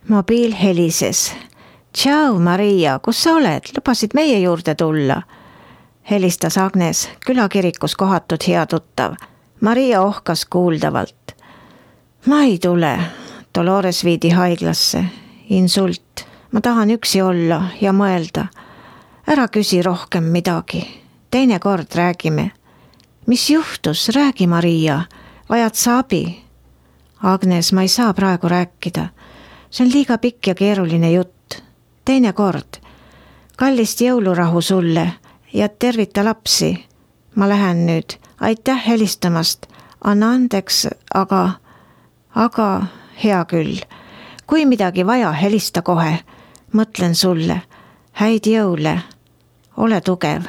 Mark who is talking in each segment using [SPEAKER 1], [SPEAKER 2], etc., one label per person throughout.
[SPEAKER 1] Mobiil helises. Tšau, Maria, kus sa oled? Lubasid meie juurde tulla. Helistas Agnes, külakirikus kohatud hea tuttav. Maria ohkas kuuldavalt. Ma ei tule. Dolores viidi haiglasse. Insult. Ma tahan üksi olla ja mõelda. Ära küsi rohkem midagi. Teine kord räägime. Mis juhtus? Räägi, Maria. Vajad sa abi? Agnes, ma ei saa praegu rääkida. See on liiga pikk ja keeruline jutt. Teine kord. Kallist jõulurahu sulle ja tervita lapsi. Ma lähen nüüd. Aitäh helistamast. Anna andeks, aga hea küll. Kui midagi vaja, helista kohe. Mõtlen sulle. Häid jõule. Ole tugev.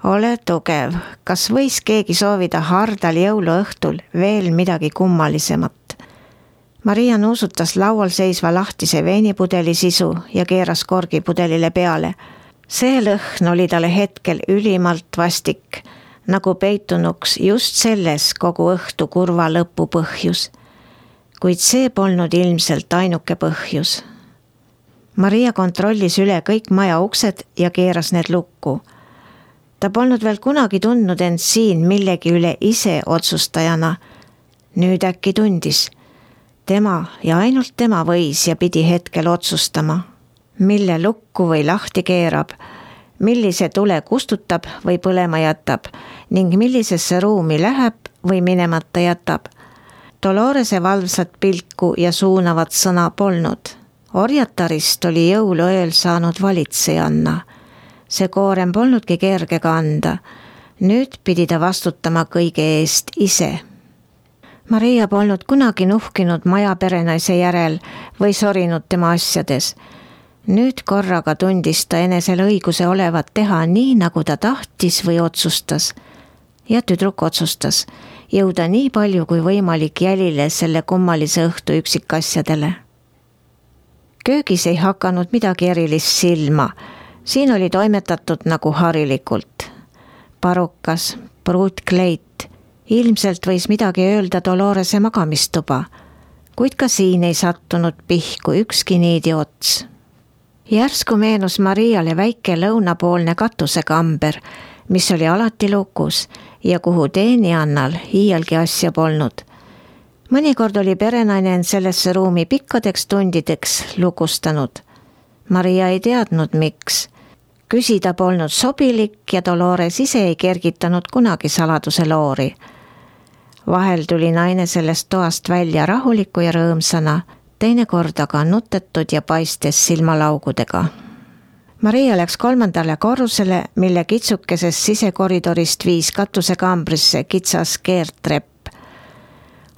[SPEAKER 1] Ole tugev. Kas võis keegi soovida hardal jõuluõhtul veel midagi kummalisemat? Maria nuusutas laual seisva lahtise veinipudeli sisu ja keeras korgipudelile peale. See lõhn oli talle hetkel ülimalt vastik, nagu peitunuks just selles kogu õhtu kurva lõpu põhjus. Kuid see polnud ilmselt ainuke põhjus. Maria kontrollis üle kõik maja uksed ja keeras need lukku. Ta polnud veel kunagi tundnud end siin millegi üle ise otsustajana. Nüüd äkki tundis. Tema ja ainult tema võis ja pidi hetkel otsustama, mille lukku või lahti keerab, millise tule kustutab või põlema jätab ning millisesse ruumi läheb või minemata jätab. Dolorese valvsat pilku ja suunavat sõna polnud. Orjatarist oli jõuluööl saanud valitsejanna. See koorem polnudki kerge kanda. Nüüd pidi ta vastutama kõige eest ise. Maria polnud kunagi nuhkinud maja perenaise järel või sorinud tema asjades. Nüüd korraga tundis ta enesel õiguse olevat teha nii, nagu ta tahtis või otsustas. Ja tüdruk otsustas jõuda nii palju kui võimalik jälile selle kummalise õhtu üksikasjadele. Köögis ei hakanud midagi erilist silma. Siin oli toimetatud nagu harilikult. Parukas, pruutkleit. Ilmselt võis midagi öelda Dolorese magamistuba, kuid ka siin ei sattunud pihku ükski niidi ots. Järsku meenus Mariale väike lõunapoolne katusekamber, mis oli alati lukus ja kuhu teenijannal iialgi asja polnud. Mõnikord oli perenaine end sellesse ruumi pikkadeks tundideks lukustanud. Maria ei teadnud, miks. Küsida polnud sobilik ja Dolores ise ei kergitanud kunagi saladuse loori. Vahel tuli naine sellest toast välja rahuliku ja rõõmsana, teinekord aga nutetud ja paistes silmalaugudega. Maria läks 3. korrusele, mille kitsukesest sisekoridorist viis katusekambrisse kitsas keertrepp.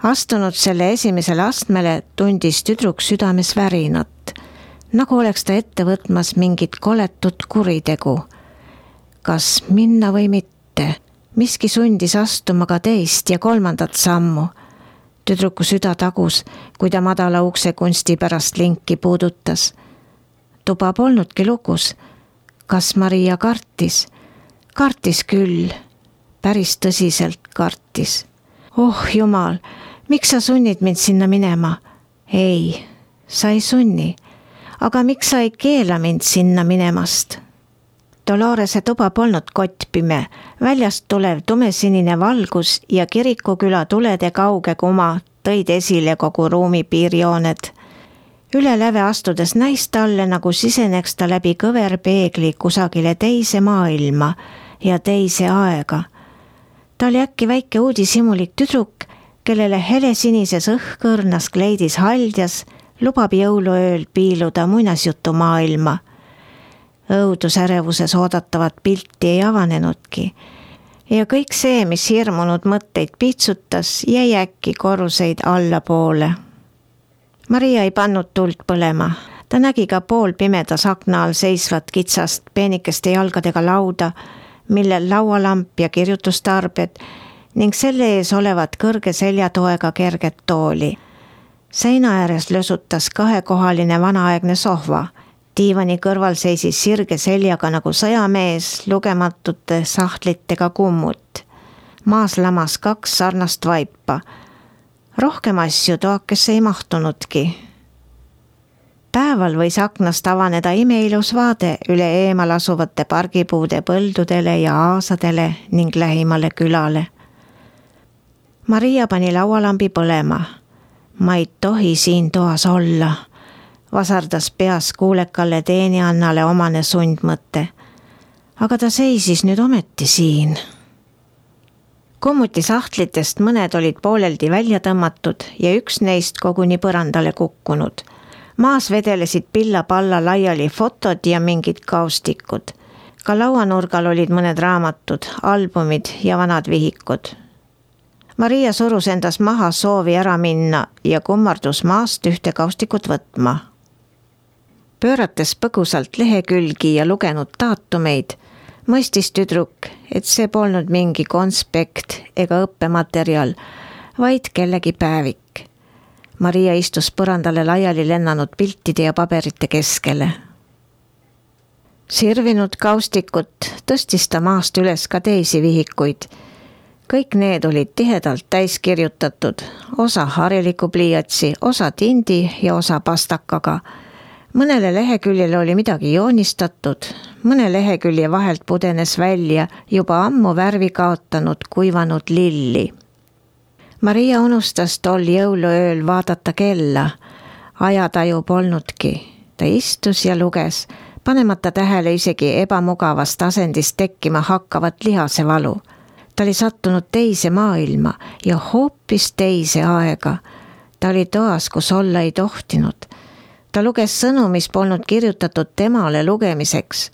[SPEAKER 1] Astunud selle esimesele astmele tundis tüdruk südames värinat, nagu oleks ta ette võtmas mingit koletut kuritegu. Kas minna või mitte? Miski sundis astuma ka teist ja 3. sammu. Tüdruku süda tagus, kui ta madala ukse kunsti pärast linki puudutas. Tuba polnudki lukus. Kas Maria kartis? Kartis küll. Päris tõsiselt kartis. Oh jumal, miks sa sunnid mind sinna minema? Ei, sa ei sunni. Aga miks sa ei keela mind sinna minemast? Dolorese tuba polnud kottpime, väljast tulev tumesinine valgus ja kirikuküla tulede kauge kuma tõid esile kogu ruumi piirjooned. Üle läve astudes näis talle, nagu siseneks ta läbi kõverpeegli kusagile teise maailma ja teise aega. Ta oli äkki väike uudishimulik tüdruk, kellele helesinises õhkõrnas kleidis haldjas lubab jõuluööl piiluda muinasjutu maailma. Õudusärevuses oodatavat pilti ei avanenudki ja kõik see, mis hirmunud mõtteid piitsutas, jäi äkki korruseid allapoole. Maria ei pannud tuld põlema. Ta nägi ka poolpimedas akna all seisvat kitsast peenikeste jalgadega lauda, millel laualamp ja kirjutustarbed ning selle ees olevat kõrge seljatoega kerget tooli. Seina ääres lösutas 2-kohaline vanaaegne sohva. Diivani kõrval seisis sirge seljaga nagu sõjamees lugematute sahtlitega kummut. Maas lamas 2 sarnast vaipa. Rohkem asju toakesse ei mahtunudki. Päeval võis aknast avaneda imeilus vaade üle eemal asuvate pargipuude põldudele ja aasadele ning lähimale külale. Maria pani laualambi põlema. Ma ei tohi siin toas olla, vasardas peas kuulekale teeniannale omane sundmõte. Aga ta seisis nüüd ometi siin. Kommuti sahtlitest mõned olid pooleldi välja tõmmatud ja üks neist koguni põrandale kukkunud. Maas vedelesid pilla-palla laiali fotod ja mingid kaustikud. Ka lauanurgal olid mõned raamatud, albumid ja vanad vihikud. Maria surus endas maha soovi ära minna ja kummardus maast ühte kaustikut võtma. Pöörates põgusalt lehekülgi ja lugenud daatumeid, mõistis tüdruk, et see polnud mingi konspekt ega õppematerjal, vaid kellegi päevik. Maria istus põrandale laiali lennanud piltide ja paberite keskele. Sirvinud kaustikut tõstis ta maast üles ka teisi vihikuid. Kõik need olid tihedalt täis kirjutatud, osa hariliku pliiatsi, osa tindi ja osa pastakaga. Mõnele leheküljele oli midagi joonistatud, mõne lehekülje vahelt pudenes välja juba ammu värvi kaotanud kuivanud lilli. Maria unustas tol jõuluööl vaadata kella. Ajataju polnudki. Ta istus ja luges, panemata tähele isegi ebamugavast asendist tekkima hakkavat lihasevalu. Ta oli sattunud teise maailma ja hoopis teise aega. Ta oli toas, kus olla ei tohtinud. Ta luges sõnu, mis polnud kirjutatud temale lugemiseks.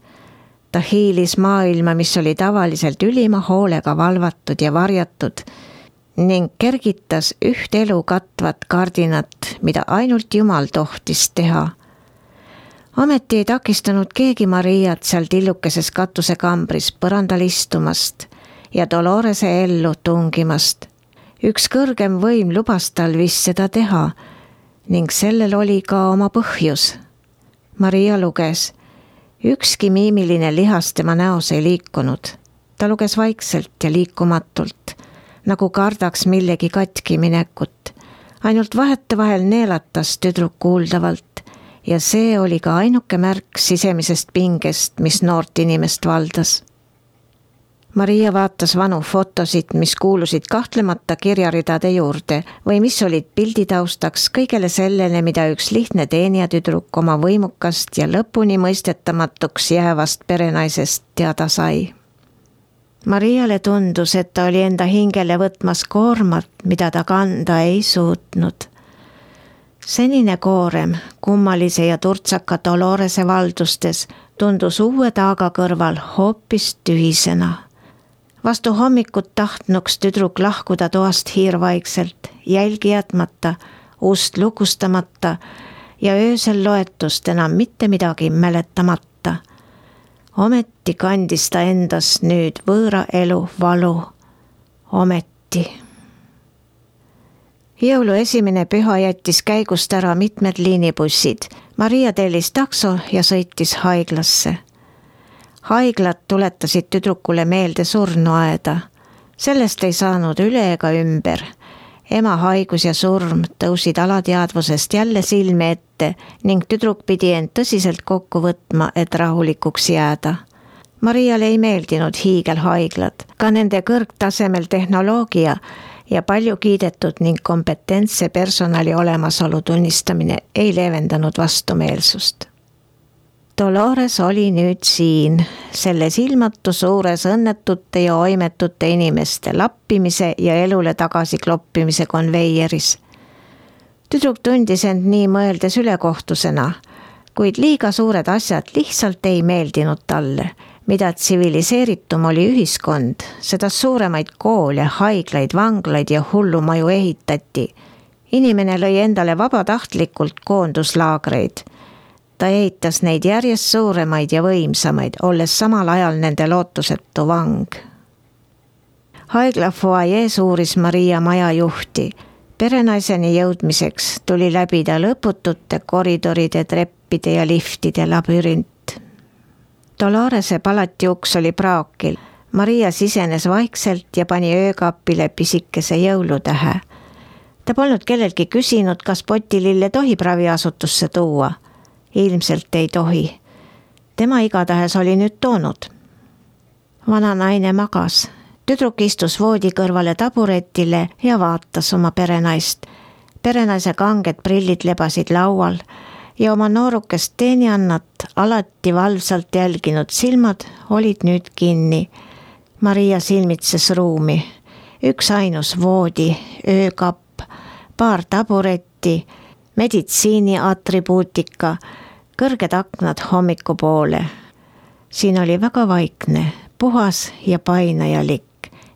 [SPEAKER 1] Ta hiilis maailma, mis oli tavaliselt ülima hoolega valvatud ja varjatud, ning kergitas üht elu katvat kardinat, mida ainult Jumal tohtis teha. Ometi ei takistanud keegi Mariat seal tillukeses katusekambris põrandal istumast ja Dolorese ellu tungimast. Üks kõrgem võim lubas tal vist seda teha ning sellel oli ka oma põhjus. Maria luges. Ükski miimiline lihas tema näos ei liikunud. Ta luges vaikselt ja liikumatult, nagu kardaks millegi katki minekut. Ainult vahetevahel neelatas tüdruk kuuldavalt ja see oli ka ainuke märk sisemisest pingest, mis noort inimest valdas. Maria vaatas vanu fotosid, mis kuulusid kahtlemata kirjaridade juurde või mis olid pilditaustaks kõigele sellele, mida üks lihtne teenijatüdruk oma võimukast ja lõpuni mõistetamatuks jäävast perenaisest teada sai. Mariale tundus, et ta oli enda hingele võtmas koormat, mida ta kanda ei suutnud. Senine koorem kummalise ja turtsaka Dolorese valdustes tundus uue taaga kõrval hoopis tühisena. Vastu hommikut tahtnuks tüdruk lahkuda toast hiirvaikselt, jälgi jätmata, ust lukustamata ja öösel loetust enam mitte midagi mäletamata. Ometi kandis ta endas nüüd võõra elu valu. Ometi. Jõulu esimene püha jättis käigust ära mitmed liinibussid. Maria tellis takso ja sõitis haiglasse. Haiglad tuletasid tüdrukule meelde surnuaeda. Sellest ei saanud üle ega ümber. Ema haigus ja surm tõusid alateadvusest jälle silme ette ning tüdruk pidi end tõsiselt kokku võtma, et rahulikuks jääda. Mariale ei meeldinud hiigelhaiglad, ka nende kõrgtasemel tehnoloogia ja palju kiidetud ning kompetentse personali olemasolu tunnistamine ei leevendanud vastumeelsust. Dolores oli nüüd siin, selles ilmatu suures õnnetute ja oimetute inimeste lappimise ja elule tagasi kloppimise konveieris. Tüdruk tundis end nii mõeldes ülekohtusena, kuid liiga suured asjad lihtsalt ei meeldinud talle. Mida tsiviliseeritum oli ühiskond, seda suuremaid koole, haiglaid, vanglaid ja hullumaju ehitati. Inimene lõi endale vabatahtlikult koonduslaagreid. Ta ehitas neid järjest suuremaid ja võimsamaid, olles samal ajal nende lootusetu vang. Haigla foajees uuris Maria maja juhti. Perenaiseni jõudmiseks tuli läbida lõputute koridoride, treppide ja liftide labürint. Dolorese palati uks oli praokil. Maria sisenes vaikselt ja pani öökapile pisikese jõulutähe. Ta polnud kellelgi küsinud, kas potilille tohib raviasutusse tuua. ilmselt ei tohi. Tema igatahes oli nüüd toonud. Vana naine magas. Tüdruk istus voodi kõrvale taburetile ja vaatas oma perenaist. Perenaise kanged prillid lebasid laual ja oma noorukest teenijannat alati valvsalt jälginud silmad olid nüüd kinni. Maria silmitses ruumi. Üks ainus voodi, öökapp, paar taburetti, meditsiini atribuutika, kõrged aknad hommiku poole. Siin oli väga vaikne, puhas ja painajalik.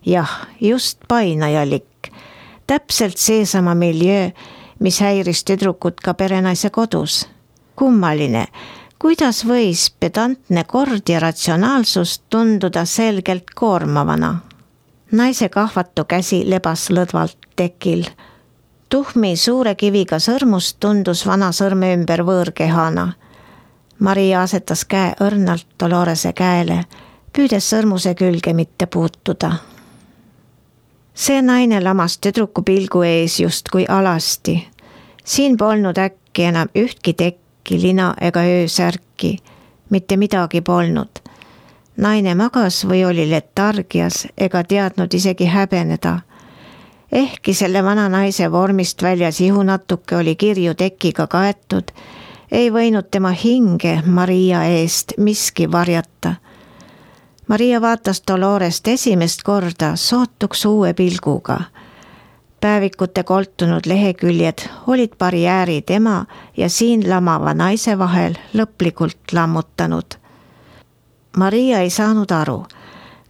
[SPEAKER 1] Jah, just painajalik. Täpselt seesama miljöö, mis häiris tüdrukut ka perenaise kodus. Kummaline, kuidas võis pedantne kord ja ratsionaalsus tunduda selgelt koormavana. Naise kahvatu käsi lebas lõdvalt tekil. Tuhmi suure kiviga sõrmus tundus vana sõrme ümber võõrkehana. Maria asetas käe õrnalt Dolorese käele, püüdes sõrmuse külge mitte puutuda. See naine lamas tüdruku pilgu ees justkui alasti. Siin polnud äkki enam ühtki tekki, lina ega öösärki. Mitte midagi polnud. Naine magas või oli letargias ega teadnud isegi häbeneda. Ehkki selle vana naise vormist väljas ihu natuke oli kirju tekiga kaetud, ei võinud tema hinge Maria eest miski varjata. Maria vaatas Dolorest esimest korda sootuks uue pilguga. Päevikute koltunud leheküljed olid barjääri tema ja siin lamava naise vahel lõplikult lammutanud. Maria ei saanud aru,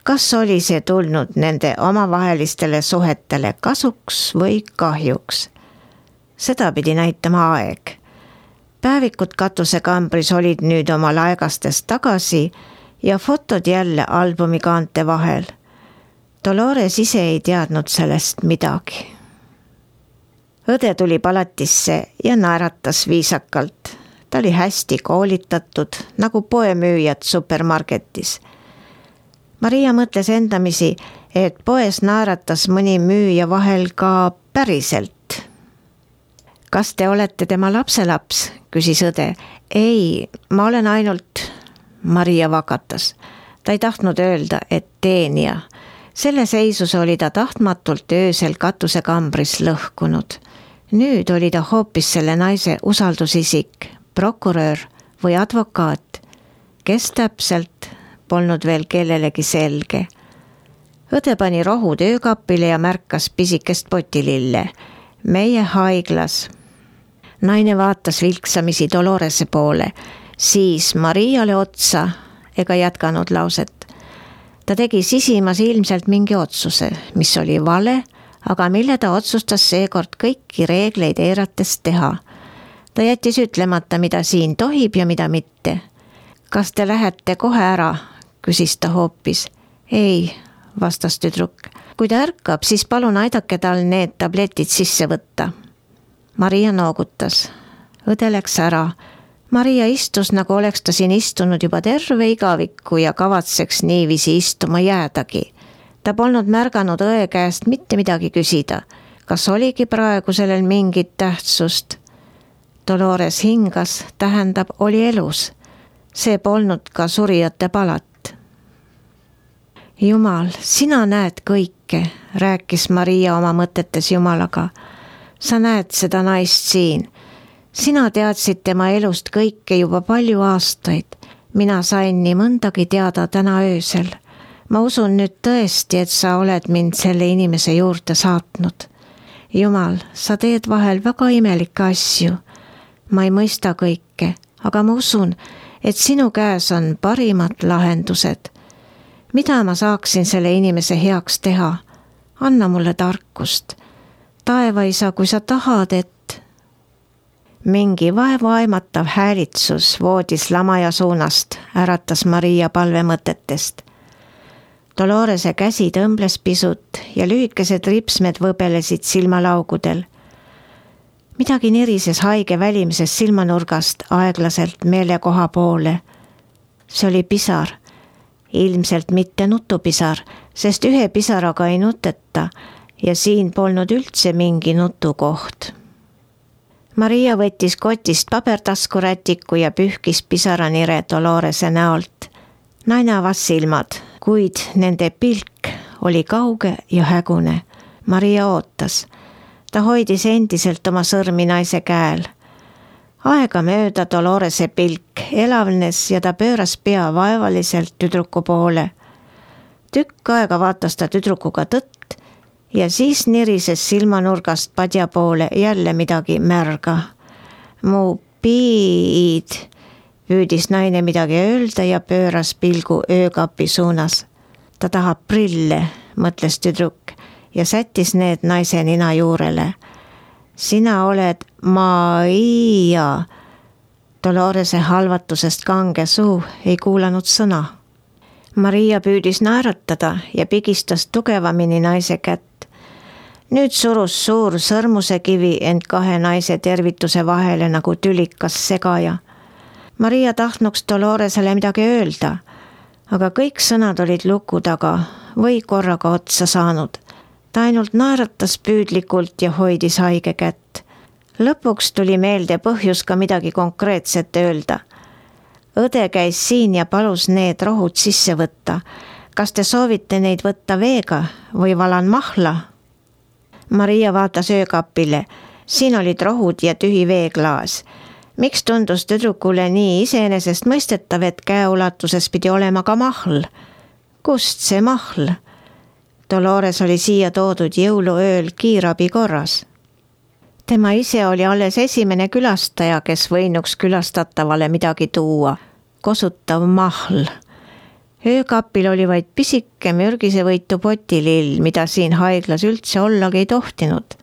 [SPEAKER 1] kas oli see tulnud nende omavahelistele suhetele kasuks või kahjuks. Seda pidi näitama aeg. Päevikud katusekambris olid nüüd oma laegastest tagasi ja fotod jälle albumi kaante vahel. Dolores ise ei teadnud sellest midagi. Õde tuli palatisse ja naeratas viisakalt. Ta oli hästi koolitatud, nagu poemüüjad supermarketis. Maria mõtles endamisi, et poes naeratas mõni müüja vahel ka päriselt. Kas te olete tema lapselaps, küsis õde. Ei, ma olen ainult... Maria vakatas. Ta ei tahtnud öelda, et teenija. Selle seisus oli ta tahtmatult öösel katusekambris lõhkunud. Nüüd oli ta hoopis selle naise usaldusisik, prokurör või advokaat. Kes täpselt, polnud veel kellelegi selge. Õde pani rohud öökapile ja märkas pisikest potilille. Meie haiglas. Naine vaatas vilksamisi Dolorese poole. Siis Mariale otsa ega jätkanud lauset. Ta tegi sisimas ilmselt mingi otsuse, mis oli vale, aga mille ta otsustas seekord kõiki reegleid eirates teha. Ta jättis ütlemata, mida siin tohib ja mida mitte. Kas te lähete kohe ära, küsis ta hoopis. Ei, vastas tüdruk. Kui ta ärkab, siis palun aidake tal need tabletid sisse võtta. Maria noogutas. Õde läks ära. Maria istus, nagu oleks ta siin istunud juba terve igaviku ja kavatseks niiviisi istuma jäädagi. Ta polnud märganud õe käest mitte midagi küsida. Kas oligi praegu sellel mingit tähtsust? Dolores hingas, tähendab, oli elus. See polnud ka surijate palat. Jumal, sina näed kõike, rääkis Maria oma mõtetes Jumalaga. Sa näed seda naist siin. Sina teadsid tema elust kõike juba palju aastaid. Mina sain nii mõndagi teada täna öösel. Ma usun nüüd tõesti, et sa oled mind selle inimese juurde saatnud. Jumal, sa teed vahel väga imelikke asju. Ma ei mõista kõike, aga ma usun, et sinu käes on parimad lahendused. Mida ma saaksin selle inimese heaks teha? Anna mulle tarkust. Taevaisa, kui sa tahad, et mingi vaevaimatav häälitsus voodis lamaja suunast, äratas Maria palvemõtetest. Dolorese käsi tõmbles pisut ja lühikesed ripsmed võbelesid silmalaugudel. Midagi nirises haige välimises silmanurgast aeglaselt meelekoha poole. See oli pisar. Ilmselt mitte nutupisar, sest ühe pisaraga ei nuteta ja siin polnud üldse mingi nutukoht. Maria võttis kotist pabertaskurätiku ja pühkis pisaranire Dolorese näolt. Naine avas silmad, kuid nende pilk oli kauge ja hägune. Maria ootas. Ta hoidis endiselt oma sõrmi naise käel. Aegamööda Dolorese pilk elavnes ja ta pööras pea vaevaliselt tüdruku poole. Tükk aega vaatas ta tüdrukuga tõtt ja siis nirises silmanurgast padja poole jälle midagi märga. Mu piid, püüdis naine midagi öelda ja pööras pilgu öökapi suunas. Ta tahab prille, mõtles tüdruk ja sättis need naise nina juurele. Sina oled Maria. Dolorese halvatusest kange suu ei kuulanud sõna. Maria püüdis naeratada ja pigistas tugevamini naise kätt. Nüüd surus suur sõrmuse kivi end kahe naise tervituse vahele nagu tülikas segaja. Maria tahtnuks Doloresele midagi öelda, aga kõik sõnad olid luku taga või korraga otsa saanud. Ta ainult naeratas püüdlikult ja hoidis haige kätt. Lõpuks tuli meelde põhjus ka midagi konkreetset öelda. Õde käis siin ja palus need rohud sisse võtta. Kas te soovite neid võtta veega või valan mahla? Maria vaatas öökapile. Siin olid rohud ja tühi veeklaas. Miks tundus tüdrukule nii iseenesest mõistetav, et käeulatuses pidi olema ka mahl? Kust see mahl? Dolores oli siia toodud jõuluööl kiirabi korras. Tema ise oli alles esimene külastaja, kes võinuks külastatavale midagi tuua. Kosutav mahl. Öökapil oli vaid pisike mürgisevõitu potilill, mida siin haiglas üldse ollagi ei tohtinud.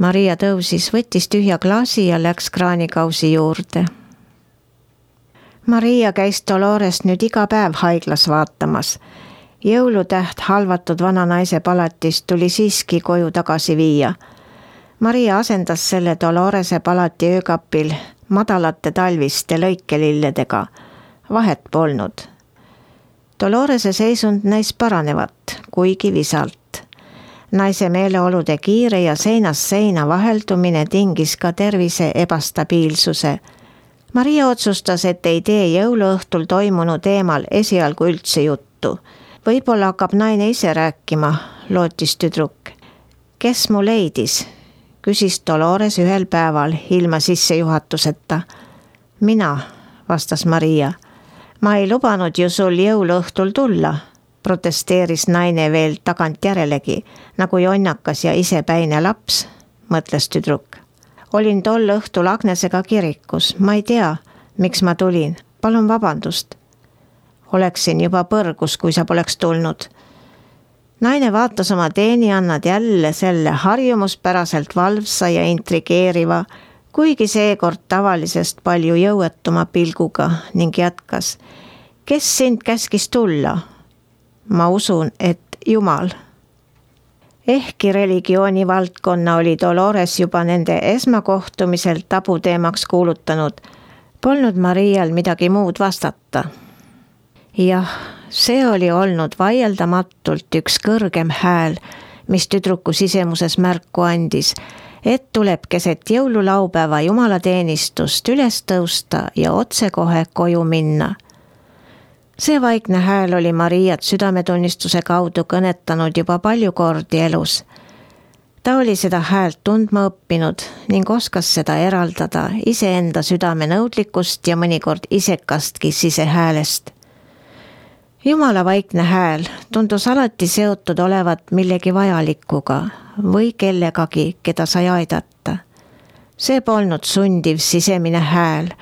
[SPEAKER 1] Maria tõusis, võttis tühja klaasi ja läks kraanikausi juurde. Maria käis Dolorest nüüd iga päev haiglas vaatamas. Jõulutäht halvatud vana naise palatist tuli siiski koju tagasi viia. Maria asendas selle Dolorese palati öökapil madalate talviste lõikelilledega. Vahet polnud. Dolorese seisund näis paranevat, kuigi visalt. Naise meeleolude kiire ja seinast seina vaheldumine tingis ka tervise ebastabiilsuse. Maria otsustas, et ei tee jõuluõhtul toimunu teemal esialgu üldse juttu. Võib-olla hakkab naine ise rääkima, lootis tüdruk. Kes mu leidis? Küsis Dolores ühel päeval ilma sissejuhatuseta. Mina, vastas Maria. Ma ei lubanud ju sul jõuluõhtul tulla, protesteeris naine veel tagant järelegi, nagu jonnakas ja isepäine laps, mõtles tüdruk. Olin tol õhtul Agnesega kirikus, ma ei tea, miks ma tulin, palun vabandust. Oleksin juba põrgus, kui sa poleks tulnud. Naine vaatas oma teenijannad jälle selle harjumuspäraselt valvsa ja intrigeeriva, kuigi seekord tavalisest palju jõuetuma pilguga ning jätkas. Kes sind käskis tulla? Ma usun, et Jumal. Ehkki religiooni valdkonna oli Dolores juba nende esmakohtumisel tabuteemaks kuulutanud, polnud Marial midagi muud vastata. Jah, see oli olnud vaieldamatult üks kõrgem hääl, mis tüdruku sisemuses märku andis, et tuleb keset jõululaupäeva jumalateenistust üles tõusta ja otsekohe koju minna. See vaikne hääl oli Mariat südametunnistuse kaudu kõnetanud juba palju kordi elus. Ta oli seda häält tundma õppinud ning oskas seda eraldada iseenda südame nõudlikust ja mõnikord isekastki sisehäälest. Jumala vaikne hääl tundus alati seotud olevat millegi vajalikuga või kellegagi, keda sai aidata. See polnud sundiv sisemine hääl.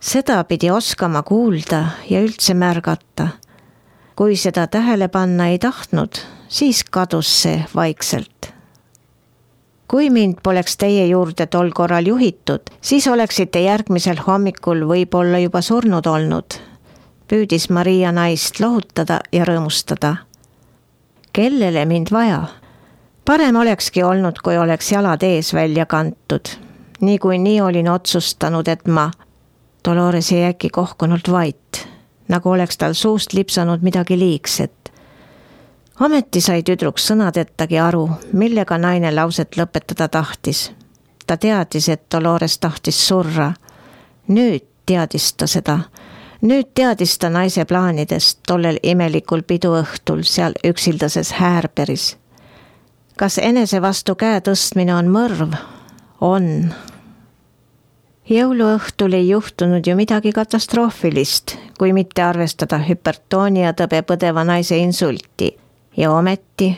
[SPEAKER 1] Seda pidi oskama kuulda ja üldse märgata. Kui seda tähele panna ei tahtnud, siis kadus see vaikselt. Kui mind poleks teie juurde tol korral juhitud, siis oleksite järgmisel hommikul võib-olla juba surnud olnud. Püüdis Maria naist lohutada ja rõõmustada. Kellele mind vaja? Parem olekski olnud, kui oleks jalad ees välja kantud. Nii olin otsustanud, et ma... Dolores jäi äkki kohkunult vait, nagu oleks tal suust lipsanud midagi liigset. Ometi sai tüdruk sõnadettagi aru, millega naine lauset lõpetada tahtis. ta teadis, et Dolores tahtis surra. Nüüd teadis ta seda. Nüüd teadis ta naise plaanidest tollel imelikul piduõhtul seal üksildases Häärberis. Kas enese vastu käe tõstmine on mõrv? On. Jõuluõhtul ei juhtunud ju midagi katastroofilist, kui mitte arvestada hüpertoonia tõbe põdeva naise insulti. Ja ometi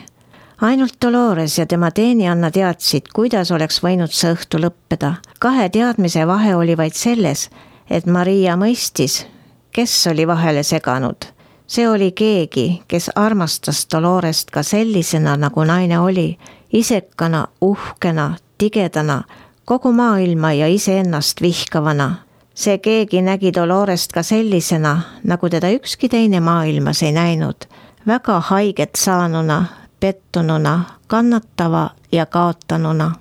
[SPEAKER 1] ainult Dolores ja tema teenianna teadsid, kuidas oleks võinud see õhtu lõppeda. 2 teadmise vahe oli vaid selles, et Maria mõistis, kes oli vahele seganud. See oli keegi, kes armastas Dolorest ka sellisena, nagu naine oli, isekana, uhkena, tigedana, kogu maailma ja iseennast vihkavana. See keegi nägi Dolorest ka sellisena, nagu teda ükski teine maailmas ei näinud. Väga haiget saanuna, pettununa, kannatava ja kaotanuna.